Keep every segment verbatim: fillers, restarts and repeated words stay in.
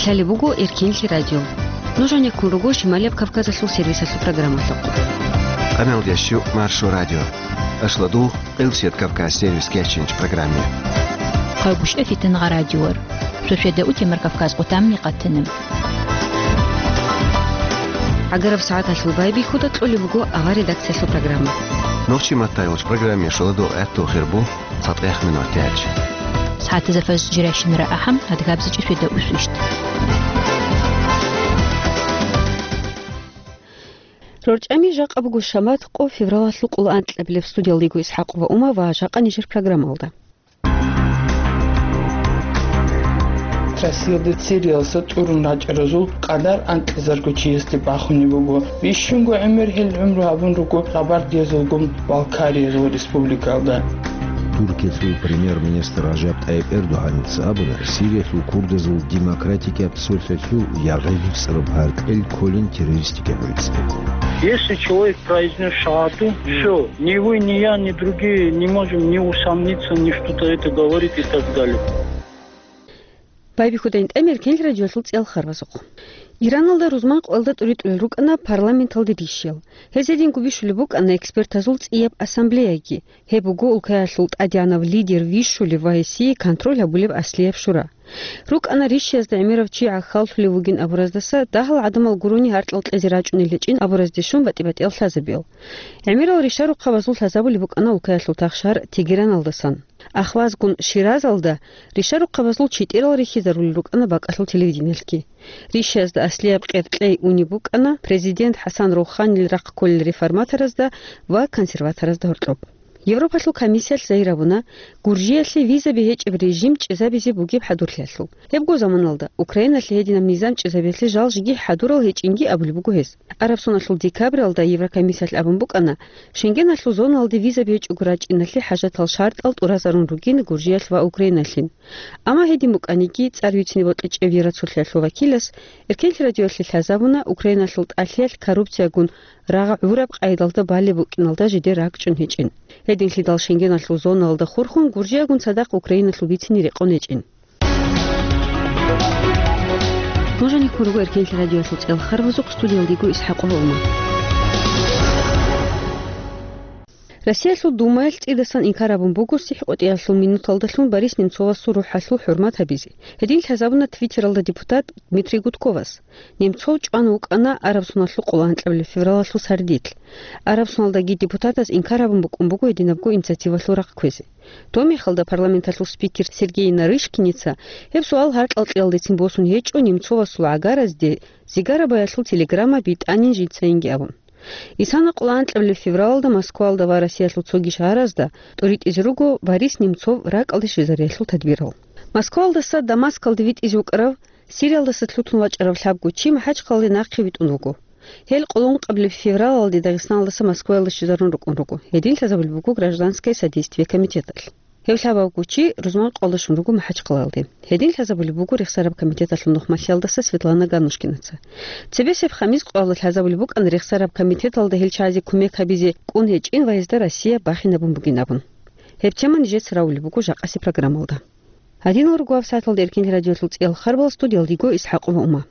Лъалеб буго Эркенлъи радио. Нуж гьанеккун руго Шималияб Кавказалъул сервисалъул программалъухъ. Къамелдящу Маршо радио. Ашладу, Къилсият Кавказ сервис кечинч программе. Хъагушев Фитангъа радиор. Шошеда утемар Кавказ къутамни къатана. Агараб сагӀаталъул байбихьуда кьолеб буго авар редакциялъул программа. Нохчи матайулч программе шоладо гӀатту хирбу. Цадгъех минутач. СагӀатазда фажр жирашинра ахӀам, адгабзичӀи шведа усвищ. РорчӀами жакъа буго шамат къо февралалъул къоло анкьабилеб. Студиялда йиго ИсхӀакъова Ума ва жакъа нижер программалда. Россиялда Сириялса тӀурун рачӀаразул къадар анкьизарго чиясде бахунеб буго. Бищунго гӀемер гьел гӀумру гьабун руго Къабардиязулгун Балкариязул республикалда. Туркиялъул премьер-министр Ражаб ТӀайиб Эрдогьаница абуна, Сириялъул курдазул демократикияб цолъалъул ягъи гьуцӀараб гьаркьел кколин террористикаб гӀицӀде. Если человек произнёс шагьаду, всё, ни вы, ни я, ни другие не можем ни усомниться, ни что-то это говорит и так далее. Байбихьуда ин тӀамер кенлъ радиоялъул цӀел харбазухъ. Ираналда рузман къоялда тӀуритӀулел рукӀана парламенталде рищиял. Гьезединго бищулеб букӀана экспертазул цӀияб ассамблеяги, гьеб буго улкаялъул тӀадегӀанав лидер вищулев ва гьесие контроль гьабулеб аслияб шура. РукӀана рищиязда гӀемерав чи гӀахьаллъулев вугин абураздаса дагьал гӀадамал гурони гьаркьал кьезе рачӀунел гьечӀин абуразде щун батӀи-батӀиял лъазабиял. ГӀемерал ришарухъабазул лъазабулеб букӀана улкаялъул тахшар Тегераналдасан. Ахвазгун Ширазалда ришарухъабазул читӀерал рихьизарулел рукӀана бакӀалъул телевидениялъги. Рищиязда аслияб къеркьей унеб букӀана президент ХӀасан Руханил рахъ кколел реформаторазда ва консерваторазда гьоркьоб. Европалъул комиссиялъ загьир гьабуна Гуржиялъе визаби гьечӀеб режим чӀезабизе бугеб хӀадурлъиялъул. Гьебго заманалда Украиналъе гьединаб низам чӀезабиялъе жал жеги хӀадурал гьечӀинги абулеб буго гьез. Араб соналъул декабралда Еврокомиссиялъ абун букӀана, Шенгеналъул зоналде визаби гьечӀого рачӀиналъе хӀажатал шартӀал тӀуразарун ругин Гуржиялъ ва Украиналъин. Амма гьедин букӀаниги, цӀар вицине бокьичӀеб Евроцолъиялъул вакилас Эркенлъи радиоялъе лъазабуна Украиналъул тӀалъиялъ коррупциягун рагъ гӀураб къайдалда балеб букӀиналда жидер ракӀчӀун гьечӀин. Гьединлъидал Шенгеналъул зоналда хурхун Гуржиягун цадахъ Украиналъул бицине рекъон гьечӀин. Нуж гьанеккун руго Эркенлъи радиоялъул цӀел харбазухъ, студиялда йиго ИсхӀакъова Ума. Россиялъул Думаялъ цӀидасан инкар гьабун буго сихӀкъотӀиялъул минуталдалъун Борис Немцовасул рухӀалъул хӀурмат гьабизе. Гьедин лъазабуна Твиттералда депутат Дмитрий Гудковас. Немцов чӀван вукӀана араб соналъул къоло анкьабилеб февралалъул сардилъ. Араб соналдаги депутатас инкар гьабун букӀун буго гьединабго инициативалъул рахъ кквезе. Доб мехалда парламенталъул спикер Сергей Нарышкиница гьеб суал гьаркьал кьеялдецин босун гьечӀо Немцовасул гӀагаразде зигарабаялъул телеграмма битӀанин жинцайинги абун. Исана къоло анкьабилеб февралалда Москвалда ва Россиялъул цоги шагьаразда тӀуритӀизе руго Борис Немцов ракӀалде щвезариялъул тадбирал. Москвалдаса Дамаскалде витӀизе вукӀарав Сириялдаса лъутун вачӀарав лъабго чи МахӀачхъалалде нахъе витӀун вуго. Гьел къоло анкьабилеб февралалде Дагъистаналдаса Москваялде щвезарун рукӀун руго. Гьедин лъазабулеб буго гражданское содействие комитеталъ. Гьев лъабабго чи рузман къоялда щун руго МахӀачхъалалде. Гьедин лъазабулеб буго рехсараб комитеталъул нухмалъиялдаса Светлана Ганнушкинаца. Цебесеб хамис къоялда лъазабулеб букӀана рехсараб комитеталда гьел чагӀазе кумек гьабизе кӀун гьечӀин ва гьезда Россия бахинабун бугин абун. Гьеб тема нижеца равулеб буго жакъасеб программалда. Гьадинал руго гьаб сагӀаталда Эркенлъи радиоялъул цӀиял харбал, студиялда йиго ИсхӀакъова Ума.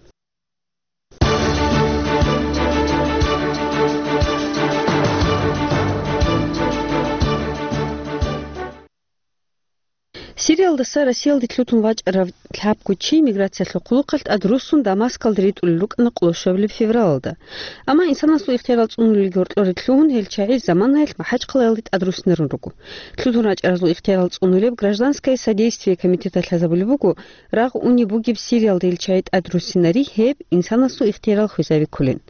Сириялдаса Россиялде лъутун вачӀарав лъабго чи миграциялъул хъулухъалъ тӀадруссун Дамаскалде ритӀулел рукӀана къоло щуабилеб февралалда. Амма инсанасул ихтиярал цӀунулелги гьоркьоре лъугьун, гьел чагӀи заманаялъ МахӀачхъалаялде тӀадруссинарун руго. Лъутун рачӀаразул ихтиярал цӀунулеб гражданское содействие комитеталъ лъазабулеб буго, рагъ унеб бугеб Сириялда гьел чагӀи тӀадруссинари гьеб инсанасул ихтиярал хвезаби кколин,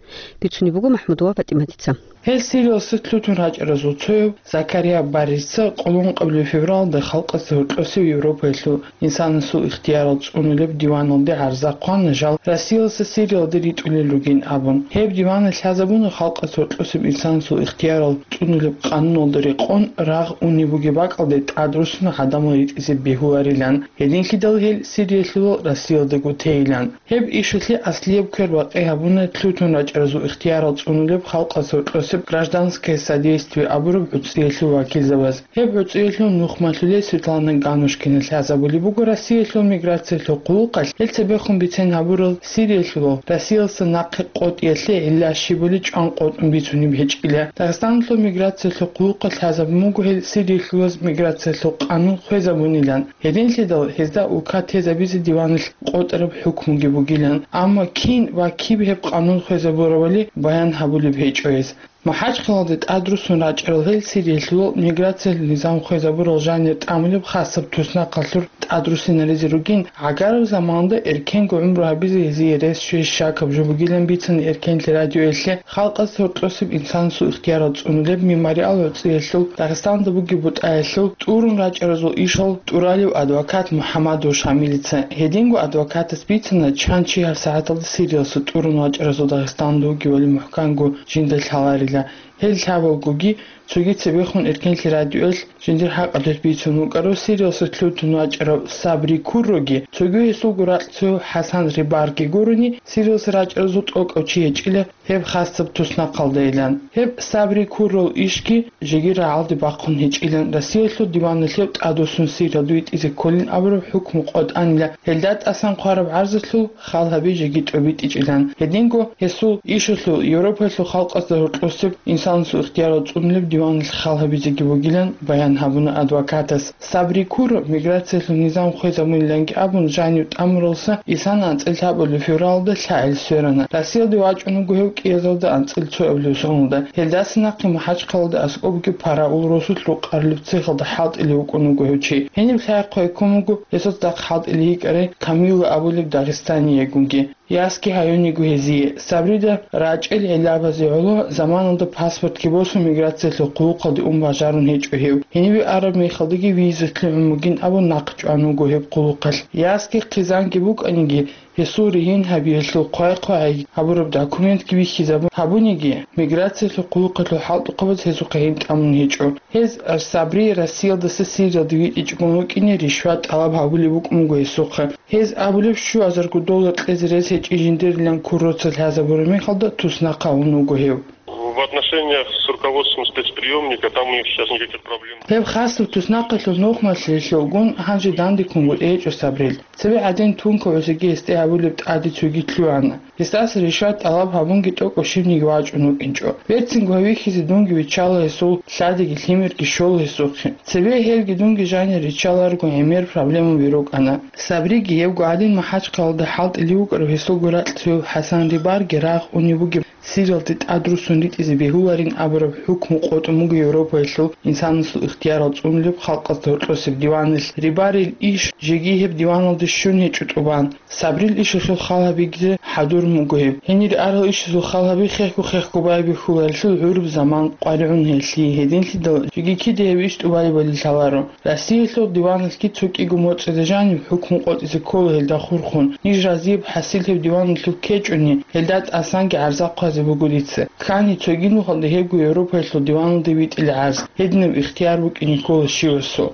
бицунеб буго МахӀмудова ПатӀиматица. Гьел Сириялдаса лъутун рачӀаразул цояв Закария Баррица къоло анкьабилеб февралалда халкъалъе гьоркьосев Европаялъул инсанасул ихтиярал цӀунулеб диваналде гӀарза хъвана жал Россиялдаса Сириялде ритӀулел ругин абун. Гьеб диваналъ лъазабуна халкъалъе гьоркьосеб инсанасул ихтиярал цӀунулеб къануналда рекъон рагъ унеб бугеб бакӀалде тӀадруссун гӀадамал ритӀизе бегьуларилан. Гьединлъидал гьел Сириялъулал Россиялдаго тейилан. Гьеб ишалъе аслияб квер бакъи гьабуна лъутун рачӀаразул ихтиярал цӀунулеб халкъалъе гьоркьосе «Гражданское содействие» абураб гӀуцӀиялъул вакилзабаз. Гьеб гӀуцӀиялъул нухмалъулей Светлана Ганушкина лъазабулеб буго Россиялъул миграциялъул хъулухъалъ гьел цебехун бицен гьабурал Сириялъулал Россиялдаса нахъе къотӀиялъе гӀилла щибали чӀван къотӀун бицунеб гьечӀила. Дагъистаналъул миграциялъул хъулухъалъ лъазабун буго гьел Сириялъулаз миграциялъул къанун хвезабунилан. Гьединлъидал гьезда улка тезабизе диваналъ къотӀараб хӀукмуги бугилан, амма кин ва киб гьеб къанун хвезабурабали баян гьабулеб гьечӀо гьез. МахӀачхъалалде тӀадрусун рачӀарал гьел Сириялъулал миграциялъул низам хвезабурал жанир тӀамулеб хасаб туснахъалъур тӀадрусинаризе ругин, гӀагараб заманалда эркенго гӀумру гьабизе гьезие рес щвей щакаб жо бугилан бицана Эркенлъи радиоялъе халкъалъ гьоркьосеб инсанасул ихтиярал цӀунулеб мемориал гӀуцӀиялъул Дагъистанда бугеб бутӀаялъул тӀурун рачӀаразул ишал тӀуралев адвокат МухӀамадов Шамилица. Гьединго адвокатас бицана, чан чи гьабсагӀаталда Сириялъа тӀурун вачӀаразул Дагъистанда вугевали мухӀканго жинда лъаларила. Гьел лъабалгоги цоги цебехун Эркенлъи радиоялъ жиндир хӀакъалъулъ бицун вукӀарав Сириялъа лъутун вачӀарав Сабри Курроги, цоги гьесулго ракьцояв ХӀасан Рибарги гурони, Сириялъа рачӀаразул тӀокӀав чи гьечӀила гьеб хасаб туснахъалдайилан. Гьеб Сабри Куррол ишги жеги рагӀалде бахъун гьечӀилан Россиялъул диваналъе тӀадвуссун Сириялда витӀизе кколин абураб хӀукму къотӀанила, гьелда тӀасан хъвараб гӀарзалъул хал гьаби жеги тӀобитӀичӀилан. Гьединго гьесул ишалъул Европаялъул халкъазда гьоркьосеб инсанасул ихтиярал цӀунулеб диваналъ хал гьабизеги бугилан баян гьабуна адвокатас. Сабри Курро миграциялъул низам хвезабуниланги абун жанив тӀамуралса, исана анцӀила лъабабилеб февралда лъагӀел сверана. Россиялде вачӀун вуго гьев кӀиязалда анцӀила цоабилеб соналда. Гьелдаса нахъе МахӀачхъалалда аскӀобги Параул росулъ рукъарулеб цехалда хӀалтӀилев вукӀун вуго гьев чи. Гьениб лъай-хъвай ккун вуго гьесул цадахъ хӀалтӀилей йикӀарай Камилла абулеб дагъистаниягунги. Ясги гьаюн йиго гьезие. Сабрида рачӀел гӀиллабазе гӀоло заманалда паспортги босун миграциялъул хъулухъалде ун бажарун гьечӀо гьев. Гьенибе араб мехалдаги визалъе гӀун бугин абун нахъ чӀван вуго гьеб хъулухъалъ. Ясги хъизанги букӀаниги, гьесул ригьин гьабиялъул хъвай-хъвай гьабураб документги бихьизабун гьабуниги, миграциялъул хъулухъалъул хӀалтӀухъабаз гьезухъе гьин тӀамун гьечӀо. Гьез Сабри Россиялдаса Сириялде витӀичӀого вукӀине ришват тӀалаб гьабулеб букӀун буго гьесухъе. Гьез абулеб, щуазарго доллар кьезе рес гьечӀин жиндирилан Курроца лъазабураб мехалда туснахъ гьавун вуго гьев. В отношениях с руководством спецприёмника там у них сейчас никаких проблем. Гьеб хасаб туснахъалъул нухмалъулелъулгун гьанже дандеккун гьечӀо Сабрил. Цебе гӀадин тункабазеги гьесде гьабулеб тӀаде цоги лъугӀана. Гьесдаса ришват тӀалаб гьабунги тӀокӀав щибниги вачӀун вукӀинчӀо. Берцинго гьав вихьизе дунги виччала гьесул лъадиги лъимерги щола гьесухъе. Цебе гьелги дунги жанир риччаларго гӀемер проблемаби рукӀана. Сабриги гьебго гӀадин МахӀачхъалалда хӀалтӀилев вукӀарав гьесулго ракьцояв ХӀасан Рибарги рагъ унев бугеб Сириялде тӀадруссун ритӀизе бегьуларин абураб хӀукму къотӀун буго Европаялъул инсанасул ихтиярал цӀунулеб халкъазда гьоркьосеб диваналъ. Рибарил иш жеги гьеб диваналде щун гьечӀо тӀубан. Сабрил ишалъул хал гьабизе хӀадурун буго гьеб. Гьенир арал ишазул хал гьаби хехго-хехго байбихьуларелъул гӀураб заман къваригӀун гьелъие гьединлъидал жеги кида гьеб иш тӀубалебали лъаларо. Россиялъул диваналъги цо кӀиго моцӀида жаниб хӀукму къотӀизе ккола гьелда хурхун. Ниж разияб хӀасил гьеб диваналъул ккечӀони, гьелда тӀасанги гӀарза хъвазе буго дица. Ккани цоги нухалда гьебго Европаялъул диваналде витӀила гӀарз. Гьединаб ихтияр букӀине ккола щивасул.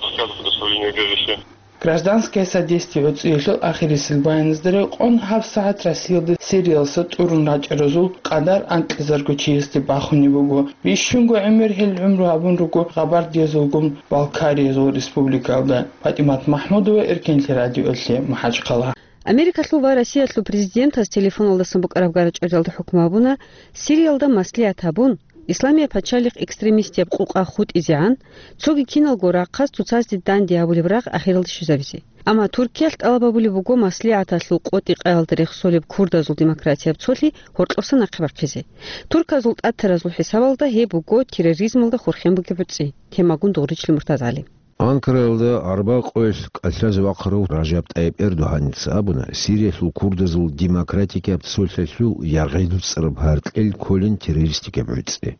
Отказ в предоставлении убежища. «Гражданское содействие» гӀуцӀиялъул ахирисел баяназда рекъон гьабсагӀат Россиялда Сириялдаса тӀурун рачӀаразул къадар анкьизарго чиясде бахунеб буго. Бищунго гӀемер гьел гӀумру гьабун руго гъабардиязулгун Балкариязул республикаялда. ПатӀимат МахӀмудова, Эркенлъи радиоялъе, МахӀачхъала. Америкалъул ва Россиялъул президентаз телефоналдасан букӀараб гарачӀалиялда хӀукму гьабуна, Сириялда маслигӀат гьабун, Исламияб пачалихъ экстремистияб къукъа хутӀизегӀан, цоги киналго рахъаз цоцазде данде гьабулеб рагъ ахиралде щвезабизе. Амма Туркиялъ тӀалаб гьабулеб буго маслигӀаталъул къотӀи-къаялда рехсолеб курдазул демократияб цолъи гьоркьоса нахъе бахъизе. Турказул тӀатаразул хӀисабалда гьеб буго терроризмалда хурхен бугеб гӀуцӀи. Темагун Дугъричлъи МуртазгӀали. Анкараялда арба къоялъ кӀалъазе вахъарав Ражаб ТӀайиб Эрдогьаница абуна, Сириялъул курдазул демократикияб цолъалъул яргъи дуцӀараб гьаркьел кколин террористикаб гӀуцӀи.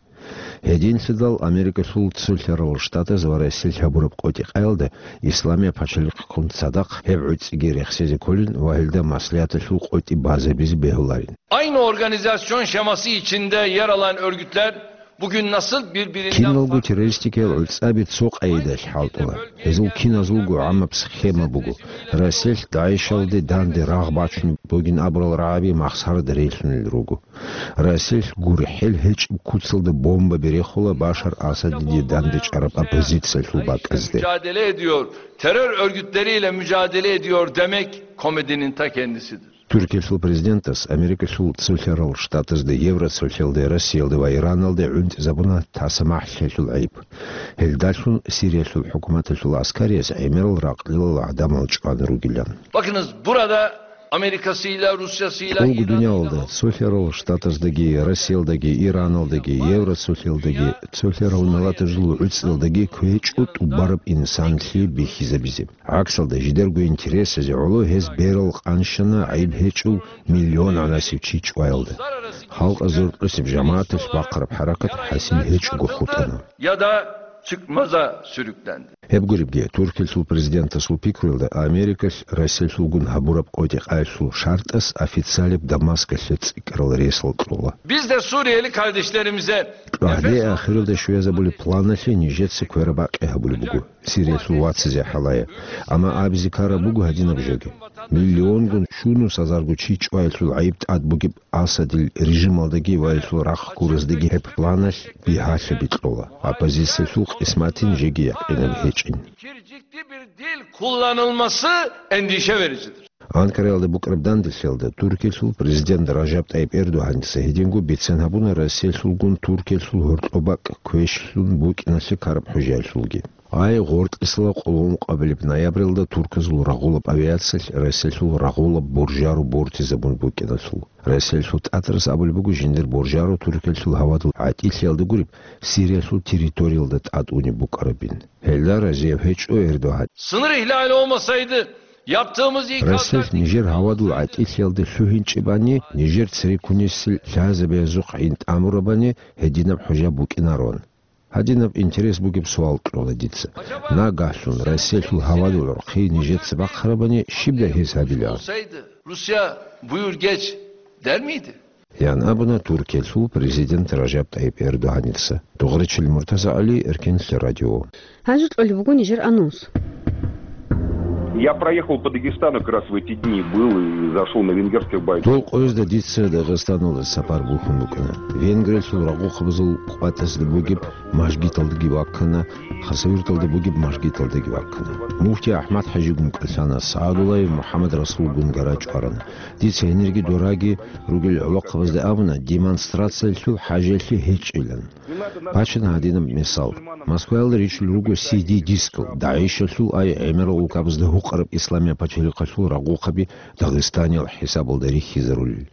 Гьединлъидал Америкалъул цолъарал штатаз ва Россиялъ гьабураб къотӀи-къаялда Исламияб пачалихъгун цадахъ гьеб гӀуцӀиги рехсезе кколин ва гьелда маслигӀаталъул къотӀи базабизе бегьуларин. Aynı organizasyon şeması içinde yer alan örgütler Bugün nasıl birbirinden Киналго террористикиял гӀуцӀаби цо къайдаялъ хӀалтӀула. Гьезул киназулго гӀамаб схема буго. Расиялъ ДАИШалде данде рагъ бачунеб бугин абурал рагӀаби махсарда релълъунел руго. Расиялъ гурхӀел гьечӀеб куцалда бомба берехула Башар Асадиде данде чӀараб оппозициялъул бакӀазде. Mücadele ediyor, terör örgütleriyle mücadele ediyor demek komedinin ta kendisidir. Туркиялъул президентас Америкалъул Цолъарал Штатазда, Евроцолъалде, Россиялде ва Ираналде гӀунтӀизабуна таса-махӀлъиялъул гӀайиб. Гьелдалъун Сириялъул хӀукуматалъул гӀаскариялъ гӀемерал ракълилал гӀадамал чӀван ругилан. Bakınız, burada Amerika'sıyla, Rusya'sıyla, ТӀолго дуниялалда, Цолъарал Штатаздаги, Россиялдаги, Ираналдаги, Евроцолъалдаги, цолъарал миллатазул гӀуцӀралдаги кквечӀо тӀубараб инсанлъи бихьизабизе. ГӀаксалда, жидерго интересазе гӀоло гьез берал къанщана гӀайиб гьечӀев миллион гӀанасев чи чӀваялда. Халкъ азоркьосеб жамагӀаталъ бахъараб хӀаракат хӀасил гьечӀого хутӀана. Ya da çıkmaza sürüklendi. Гьеб гуребги, Туркиялъул президентасул пикруялда, Америкалъ Россиялъулгун гьабураб къотӀи-къаялъул шартӀас официалияб Дамаскалъе цӀикӀкӀарал ресал кьола. Biz de Suriyeli kardeşlerimize КьогӀде ахиралда щвезабулеб планалъе нижеца квераб бакъи гьабулеб буго. Сириялъул вацазе хӀалае. Амма абизе ккараб буго гьадинаб жоги. Миллионгун щунус азарго чи чӀваялъул гӀайиб тӀад бугеб Асадил режималдаги ва гьелъул рахъ гураздаги гьеб планалъ бигьалъаби кьола. Оппозициялъул къисматин жеги якъинаб гьечӀин. Kircikli bir dil kullanılması endişe vericidir. Анкараялда букӀараб данделъиялда Туркиялъул президент Ражаб ТӀайиб Эрдогьаница гьединго бицен гьабуна Россиялъулгун Туркиялъул гьоркьоб бакӀ квешлъун букӀиналъе ккараб хӀужаялъулги. Гьай, гъоркьисала къоло ункъабилеб ноябралда турказул рагъулаб авиациялъ Россиялъул рагъулаб боржаро бортизабун букӀиналъул. Россиялъул тӀатарас абулеб буго жиндир боржаро Туркиялъул гьавадул гӀатӀилъиялда гуреб Сириялъул территориялда тӀад унеб букӀарабин. Гьелда разияб гьечӀо Эрдогьан. Sınır ihlali olmasaydı yaptığımız ikazlar Россиялъ нижер гьавадул гӀатӀилъиялда лъугьинчӀебани, нижер цереккунесел лъазабиязухъ гӀин тӀамурабани, гьединаб хӀужа букӀинарон. Гьадинаб интерес бугеб суал кьола дица. Нагагьлъун Россиялъул гьавадул гӀурхъи нижеца бахъарабани, щибдай гьез гьабилаан? Olsaydı Rusya buyur geç der miydi? Ян абуна Туркиялъул президент Ражаб ТӀайиб Эрдогьаница. Дугъричил Муртаза ГӀали, Эркенлъи радио. Гьанже кьолеб буго нижер анонс. Я проехал по Дагестану как раз в эти дни, был и зашел на венгерских бойцов. Дол къоязда дица Дагъистаналда сапар бухьун букӀана. Венгриялъул рагъухъабазул къватӀазда бугеб мажгиталдаги ваккана, Хасавюрталда бугеб мажгиталдаги ваккана. Муфти АхӀмад-ХӀажигун кӀалъана, СагӀадуллаев МухӀаммад-Расулгун гара чӀварана. Дица гьенирги дораги ругел гӀолохъабазда абуна, демонстрациялъул хӀажалъи гьечӀилан. Бачана гьадинаб мисал. Москваялда ричӀчӀулел руго си ди-дискал, ДАИШалъул ай гӀемерал улкабазда гьукъараб исламияб пачалихъалъул рагъухъаби Дагъистаниял хӀисабалда рихьизарулел.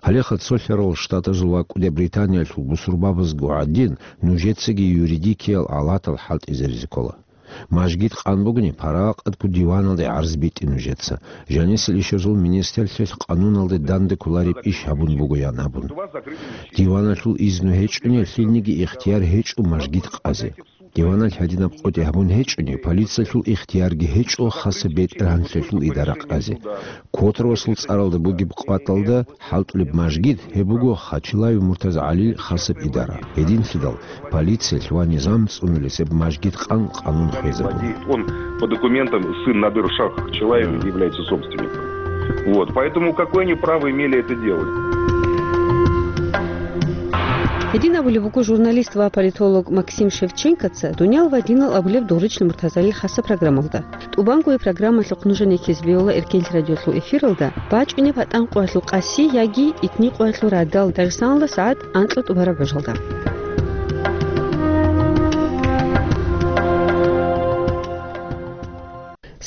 Гьалеха цолъарал штатазул ва КӀуди Британиялъул бусурбабазго гӀадин, нужецаги юридикиял алатал хӀалтӀизаризе ккола. Мажгит къан бугони, парагъатго диваналде гӀарз битӀе нужеца. Жанисел ишазул министрлъиялъ къануналде данде кколареб иш гьабун буго, ян абун. Диваналъул изну гьечӀони, лъилниги ихтияр гьечӀо мажгит къазе. Диваналъ гьадинаб къотӀи гьабун гьечӀони, полициялъул ихтиярги гьечӀо хасаб бетӀергьанлъиялъул идара къазе. Котор васул цӀаралда бугеб къватӀалда хӀалтӀулеб мажгит, гьеб буго Хачилаев Муртаза ГӀалил хасаб идара. Гьединлъидал полициялъ ва низам цӀунулес гьеб мажгит къан къанун хвезабуна. Он по документам сын Надыр Шах Хачилаев является собственником. Вот, поэтому какое они право имели это делать? Гьедин абулеб буго журналист ва политолог Максим Шевченкоца «Дуниял ва динал» абулеб Дугъричил Муртазалил хасаб программалда. ТӀубанго гьеб программалъухъ нужеда ккезе бегьула Эркенлъи радиолъул эфиралда, бачӀунеб гьатӀан къоялъул къаси яги итни къоялъул радал, Дагъистаналда сагӀат анкьа тӀубараб гӀужалда.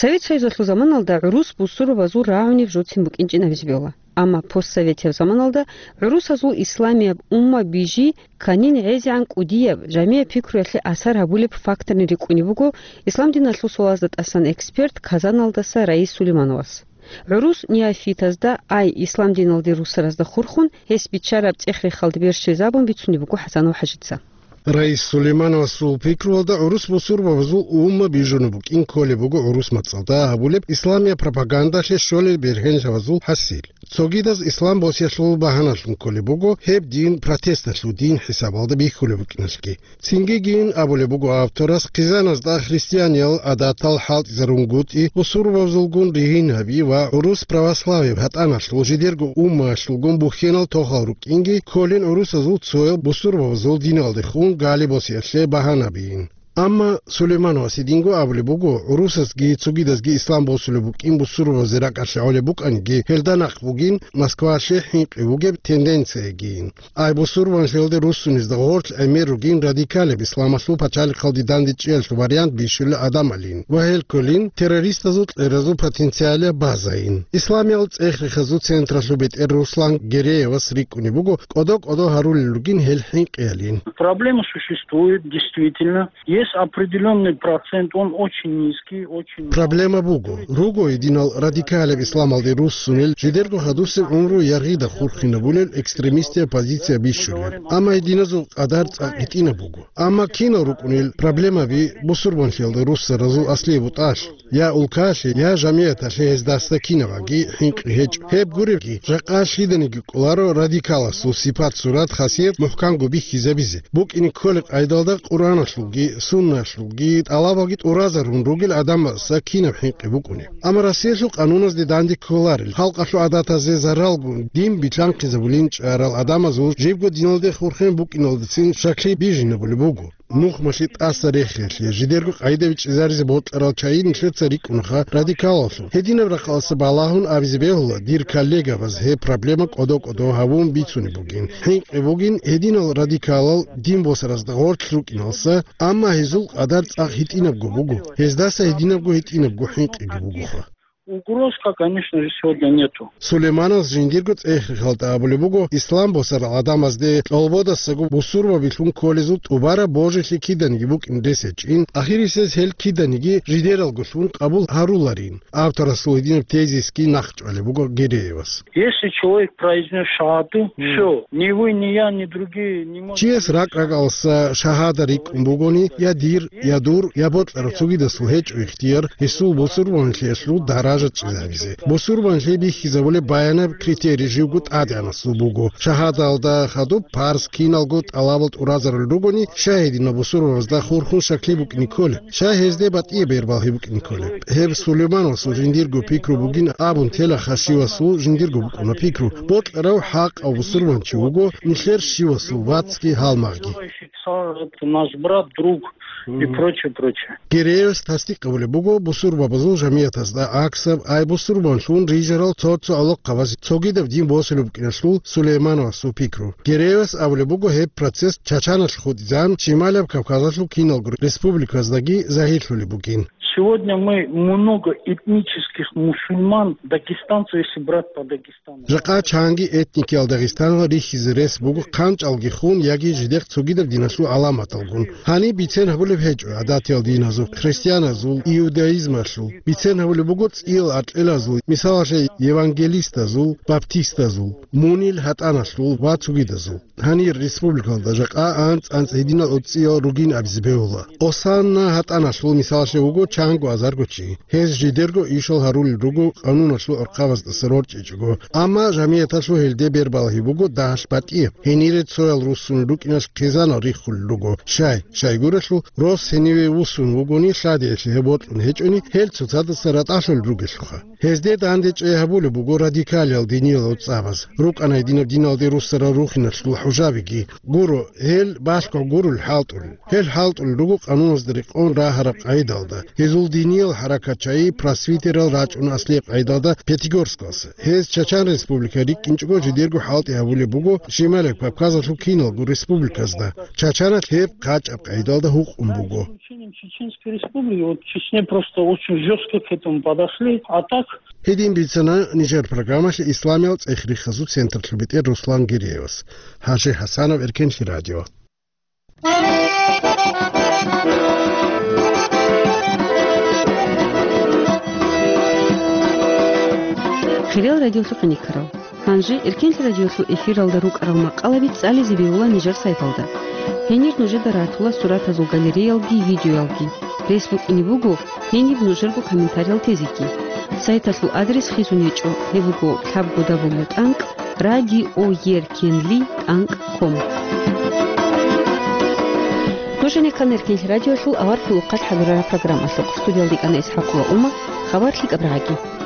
Совет Союзалъул заманалда гӀурус бусурбабазул рагӀунеб жоцин букӀинчӀин абизе бегьула. Амма постсоветияб заманалда гӀурусазул исламияб умма бижи кканин гӀезегӀан кӀудияб, жамигӀ пикруялъе асар гьабулеб факторни рикӀкӀунеб буго ислам диналъул суалазда тӀасан эксперт Казаналдаса Раис Сулеймановас. ГӀурус неофитазда, ай ислам диналде руссаразда хурхун, гьес биччараб цӀех-рехалда берщвезабун бицунеб буго ХӀасанов ХӀажица. Раис Сулеймановасул пикруялда гӀурус бусурбабазул умма бижунеб букӀин кколеб буго гӀурус мацӀалда гьабулеб исламияб пропагандалъе щолел бергьенлъабазул хӀасил. Цогидаз ислам босиялъул багьаналъун кколеб буго гьеб дин протесталъул дин хӀисабалда бихьулеб букӀиналъги. Цинги гин абулеб буго авторас, хъизаназда христианиял гӀадатал хӀалтӀизарунгутӀи, бусурбабазулгун ригьин гьаби ва гӀурус православияб гьатӀаналъул жидерго уммаялъулгун бухьенал тохал рукӀинги кколин гӀурусазул цоял бусурбабазул диналдехун гали босиялъе багьана бийин. Амма Сулеймановас гьединго абулеб буго, гӀурусазги цогидазги ислам босулеб букӀин бусурбабазе ракӀалъе гӀолеб букӀаниги, гьелда нахъ бугин Москваялъе хӀинкъи вугеб тенденциягийин. Ай бусурбанлъиялде руссунезда гъорлъ гӀемер ругин радикалеб исламалъул пачалихъалде дандечӀеялъул вариант бищулел гӀадамалин ва гьел кколин террористазул кьеразул потенциалияб базайин. Исламиял цӀех-рехазул централъул бетӀер Руслан Гереевас рикӀкӀунеб буго кӀодо-кӀодо гьарулел ругин гьел хӀинкъиялин. Проблема существует, действительно. Есть определённый процент, он очень низкий, очень... Проблема буго. Руго гьединал радикалеб исламалде руссунел, жидерго хадусеб гӀумру яргъида хурхинабулел экстремистияб позиция бищулел. Амма гьединазул къадар цӀакъ гьитӀинаб буго. Амма кинал рукӀунел проблемаби бусурбанлъиялда руссаразул аслияб бутӀалъ, я улкалъе, я жамигӀаталъе гьездасда кинабаги хӀинкъи гьечӀо. Гьеб гуребги, жакъа лъиданиги кӀоларо радикаласул сипат-сурат, хасият мухӀканго бихьизабизе. БукӀине кколеб къайдалда Къуръаналъулги, Сунналъулги тӀалабалги тӀуразарун ругел гӀадамазда кинаб хӀинкъи букӀунеб. Амма Россиялъул къануназде данде кколарел, халкъалъул гӀадатазе заралгун дин билълъанхъизабулин чӀарал гӀадамазул жибго диналде хурхен букӀиналдацин шаклъи бижинабулеб буго. Нухмалъи тӀаса рехиялъе, жидерго къайда бичӀчӀизаризе бокьарал чагӀи нилъеца рикӀкӀунаха радикалалъул. Гьединаб рахъалъа балагьун абизе бегьула, дир коллегабаз гьеб проблема кӀодо-кӀодо гьавун бицунеб бугин. ХӀинкъи бугин, гьединал радикалал дин босаразда гъорлъ рукӀиналса, амма гьезул къадар цӀакъ гьитӀинабго буго. Гьездаса гьединабго-гьитӀинабго хӀинкъиги бугоха. Угрозка, конечно же, сегодня нету. Сулейманас жиндирго цӀех-рехалда абулеб буго, ислам босарал гӀадамазде кьолбодасаго бусурбабилъун кколезул тӀубараб божилъи киданиги букӀин рес гьечӀин, ахирисез гьел киданиги жидералгулъун къабул гьаруларин. Авторасул гьединаб тезисги нахъчӀвалеб буго Гереевас. Если человек произнёс шагьаду, всё, ни вы, ни я, ни другие не можем... Чияс ракӀ-ракӀалса шагьада рикӀкӀун бугони, я дир, я дур, я бокьарав цогидасул гьечӀо ихтияр гьесул бусурбанлъиялъул даража чӀезабизе. Бусурбанлъи бихьизабулеб баянаб критерий живго ТӀадегӀанасул буго. Шагьадалда хадуб парз киналго тӀалабал тӀуразарулел ругони, щай гьединал бусурбабазда хурхун шаклъи букӀине кколеб? Щай гьезде батӀияб бербалъи букӀине кколеб? Гьеб Сулеймановасул жиндирго пикру бугин абун телаха щивасул жиндирго букӀуна пикру. Бокьарав хӀакъав бусурбанчи вуго нилъер щивасул вацги гьалмагъги. Наш брат, друг и прочее, прочее. Гереевас тасдикъ гьабулеб буго бусурбабазул жамигӀатазда гӀаксаб, ай бусурбанлъун рижарал цо-цо гӀолохъабаз цогидаб дин босулеб букӀиналъул Сулеймановасул пикру. Гереевас абулеб буго гьеб процесс Чачаналъ хутӀизан, Шималаб Кавказалъул киналго республиказдаги загьирлъулеб бугин. Сегодня мы много этнических мусульман, дагестанцев, если брать по Дагестану. Жакъа чанги этникиял Дагъистаналда рихьизе рес буго хъанчӀалги хун яги жидехъ цогидаб диналъул гӀаламаталгун. Гьаниб бицен гьабулеб гьечӀо гӀадатиял диназул, христианазул, иудаизмалъул. Бицен гьабулеб буго цӀиял аркьелазул, мисалалъе, евангелистазул, баптистазул, мунил гьатӀаналъул ва цогидазул. Гьанир республикалда жакъа анцӀ-анцӀ гьединал оцӀиял ругин абизе бегьула. Осанна гьатӀаналъул мисалалъе вуго чанго азарго чи. Гьез жидерго ишал гьарулел руго къануналъул архъабаздаса рорчӀичӀого. Амма жамигӀаталъул гьелде бербалъи буго дагьалъ батӀияб. Гьенире цоял руссун рукӀиналъ хъизанал риххулел руго. Щай, щайгурелъул, рос гьениве вуссун вугони, лъадиялъе гьеб бокьун гьечӀони, гьел цоцадаса ратӀалъулел ругелъулха. Гьезде дандечӀей гьабулеб буго радикалиял диниял оцӀабаз. РукӀана гьединаб диналде руссарал рухиналъул хӀужабиги. Гуро, гьел балъго гурул хӀалтӀулел. Гьел хӀалтӀулел руго къануназда рекъон рагьараб къагӀидалда. Гьезул диниял хӀаракат чагӀи просвитерал рачӀуна аслияб къагӀидалда Пятигорскалъ. Гьез Чачан Республика рикӀкӀинчӀого жидерго хӀалтӀи гьабулеб буго Шималаб Кавказалъул киналго республиказда. Чачаналъ гьеб къачӀаб къагӀидалда гьукъун буго. Чеченской Республики, вот в Чечне просто очень жёстко к этому подошли, а так... Гьедин бицана нижер программалъе исламиял цӀех-рехазул централъул бетӀер Руслан Гиреевас. Гьажи Гьасанов, Эркенлъи радио. Хириял радиолъухъ никарал. Гьанже Эркенлъи радиолъул эфиралда рукӀарал макъалаби цӀализе бегьула нижер сайталда. Гьенир нужеда ратула суратазул галереялги видеоялги. Рес букӀине буго гьениб нужерго комментариялъ тезеги. Сайталъул адрес хисун гьечӀо, гьеб буго лъабго дабл ю тӀанкӀ радиоеркенли тӀанкӀ ком. Нуж гьанир ккана Эркенлъи радиоялъул аварагасул хӀакъалъулъ хӀалурараб программалъухъ. Студиялда йикӀана ИсхӀакъ ва Ума. Хабар лъикӀаб рагӀаги.